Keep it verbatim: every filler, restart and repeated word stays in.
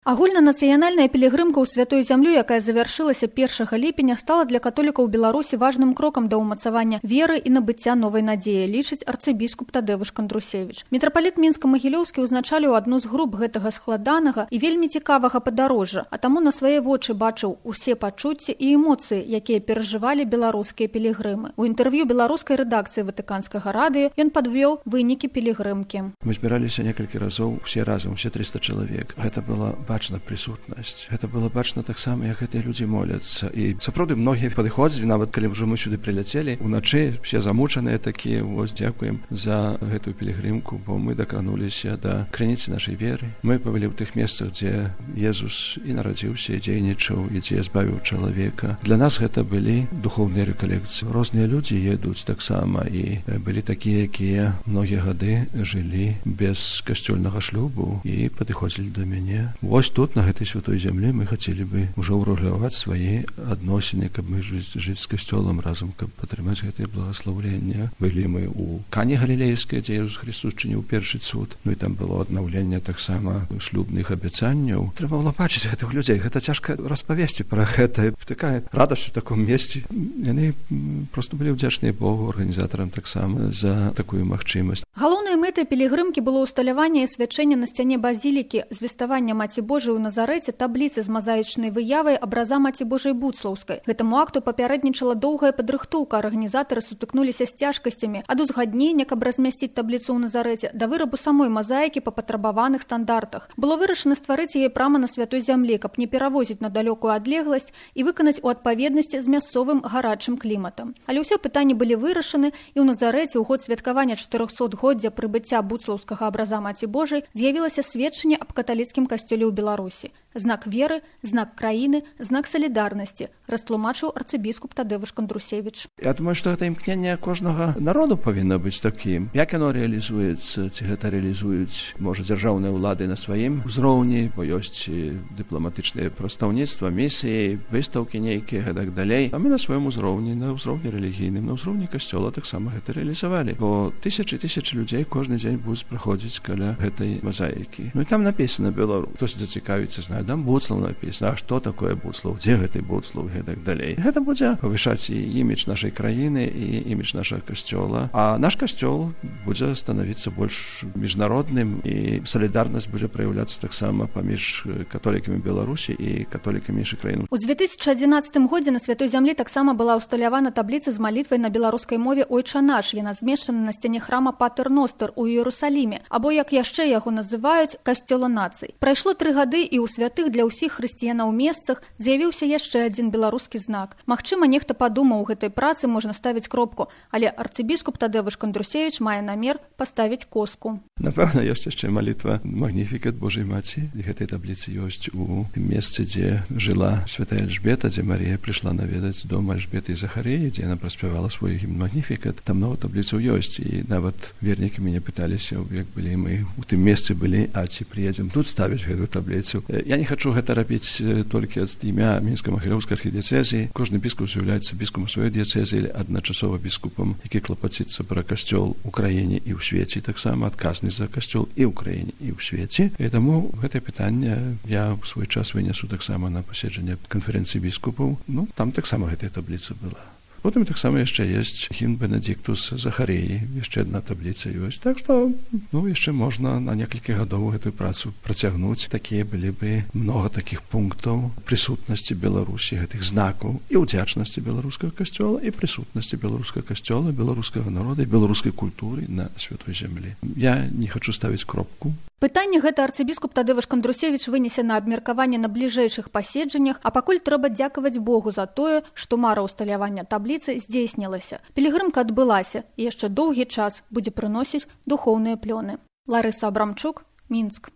Агульнанацыянальная пілігрымка ў святую зямлю, якая завяршылася першага ліпеня, стала для католікаў Беларусі важным крокам да ўмацавання веры і набыцця новай надзеі, лічыць арцыбіскуп Тадэвуш Кандрусевіч. Мітрапаліт Мінска-Магілёўскі ўзначаліў адну з груп гэтага складанага і вельмі цікавага падарожжа, а таму на свае вочы бачыў усе пачуцці і эмоцыі, якія перажывалі беларускія пілігрымы. У інтэрв'ю беларускай рэдакцыі Ватыканскага радыё ён падвёў вынікі пілігрымкі. Мы збіраліся некалькі разоў усе разам, усе трыста чалавек. Гэта была бачна прысутнасць. Гэта было бачна таксама, як гэтыя людзі моляцца. І сапраўды многія падыходзілі, нават калі ўжо мы сюды прыляцелі, уначы все замучаныя такія. Вось дзякуем за гэтую пілігрымку, бо мы дакрануліся да крыніцы нашай веры. Мы павялі ў тых месцах, дзе Езус і нарадзіўся, і дзейнічаў, і дзе збавіў чалавека. Для нас гэта былі духоўныя рэкалекцыі. Розныя людзі едуць таксама, і былі такія, якія многія гады жылі без касцёльнага шлюбу і падыходзілі да мяне. Вось тут, на гэтай святой зямлі, мы хацелі бы ўжо ўрэгуляваць свае адносіны, каб мы жыць, жыць з касцёлам разам, каб атрымаць гэтае благаслаўленне. Былі мы ў Кані Галілейскай, дзе Езус Христос чыніў першы цуд. Ну і там было аднаўленне таксама шлюбных абяцанняў. Трэба было бачыць гэтых людзей. Гэта цяжка распавесці пра гэта. Такая радасць у таком месцы. Яны проста былі ўдзячныя Богу, арганізатарам таксама за такую магчымасць. Галоўнай мэтай пілігрымкі было ўсталяванне і свячэнне на сцяне базілікі звеставання Маці Божай у Назарэце табліцы з мазаічнай выявай абраза Маці Божай Буцлаўскай. Гэтаму акту папярэднічала доўгая падрыхтоўка. Арганізатары сутыкнуліся з цяжкасцямі ад узгаднення, каб размясціць табліцу ў Назарэце, да вырабу самой мазаікі па патрабаваных стандартах. Было вырашана стварыць яе прама на святой зямлі, каб не перавозіць на далёкую адлегласць і выканаць у адпаведнасці з мясцовым гарачым кліматам. Але ўсе пытанні былі вырашаны, і ў Назарэце ў год святкавання чатырохсотгоддзя прыбыцця буцлаўскага абраза Маці Божай з'явілася сведчанне аб каталіцкім касцёле ў Беларусі. Знак веры, знак краіны, знак салідарнасці, растлумачыў арцыбіскуп Тадэвуш Кандрусевіч. Я думаю, што гэта імкненне кожнага народу павінна быць такім. Як яно рэалізуецца, ці гэта рэалізуюць, можа, дзяржаўныя ўлады на сваім узроўні, бо ёсць дыпламатычныя прадстаўніцтва, місіі, выстаўкі нейкія, гэтак далей. А мы на сваім узроўні, на ўзроўні рэлігійным, на ўзроўні касцёла таксама гэта рэалізавалі. Бо тысячы тысячы людзей кожны дзень будуць праходзіць каля гэтай мазаікі. Ну і там напісана Беларусь. Хтось зацікавіцца, знае, там Буцлаў напісана, а што такое Буцлаў, дзе гэты Буцлаў, гэтак далей. Гэта будзе павышаць і імідж нашай краіны, і імідж нашага касцёла. А наш касцёл будзе станавіцца больш міжнародным, і салідарнасць будзе праяўляцца таксама паміж католікамі Беларусі і католікамі іншых краін. У дзве тысячы адзінаццатым годзе на святой зямлі таксама была ўсталявана табліца з малітвай на беларускай мове «Ойча наш». Яна змешчана на сцяне храма Патер Ностер у Іерусаліме, або, як яшчэ яго называюць, касцёла нацый. Прайшло тры гады, і ў святых для ўсіх хрысціянаў месцах з'явіўся яшчэ адзін беларускі знак. Магчыма, нехта падумаў, у гэтай працы можна ставіць кропку, але арцыбіскуп Тадэвуш Кандрусевіч мае намер паставіць коску. Напэўна, ёсць яшчэ малітва «Магніфікат Божай Маці». І гэтай табліцы ёсць у тым месцы, дзе жыла святая Эльжбета, дзе Марія прыйшла наведаць дом Эльжбеты і Захарыі, дзе яна праспявала свой гімн «Магніфікат». Там много табліцаў ёсць, і нават вернікі мяне пыталіся, як былі мы у тым месцы былі, а ці прыедзем тут ставіць гэту табліцу. Я не хачу гэта рабіць толькі ад імя Мінска-Магілёўскай архідыяцэзіі. Кожны біскуп з'яўляецца біскупам сваёй дыяцэзіі, адначасова біскупам, які клапаціцца пра касцёл у краіне і ў свеце, таксама адказны за касцёл і ў краіне, і ў свеце. І таму гэтае пытанне я ў свой час вынесу таксама на паседжанне канферэнцыі біскупаў. Ну, там таксама гэтая табліца была. Потым таксама яшчэ ёсць гімн Бенедиктус Захарыі, яшчэ адна табліца ёсць. Так што, ну, яшчэ можна на некалькі гадоў гэтую працу працягнуць. Такія былі бы многа такіх пунктаў прысутнасці Беларусі, гэтых знакаў і ўдзячнасці беларускага касцёла, і прысутнасці беларускага касцёла, беларускага народа і беларускай культуры на святой зямлі. Я не хачу ставіць кропку. Пытанне гэта арцыбіскуп Тадэвуш Кандрусевіч вынесе на абмеркаванне на бліжэйшых паседжаннях, а пакуль трэба дзякаваць Богу за тое, што мара ўсталявання табліцы здзейснілася. Пілігрымка адбылася, і яшчэ доўгі час будзе прыносіць духоўныя плёны. Ларыса Абрамчук, Мінск.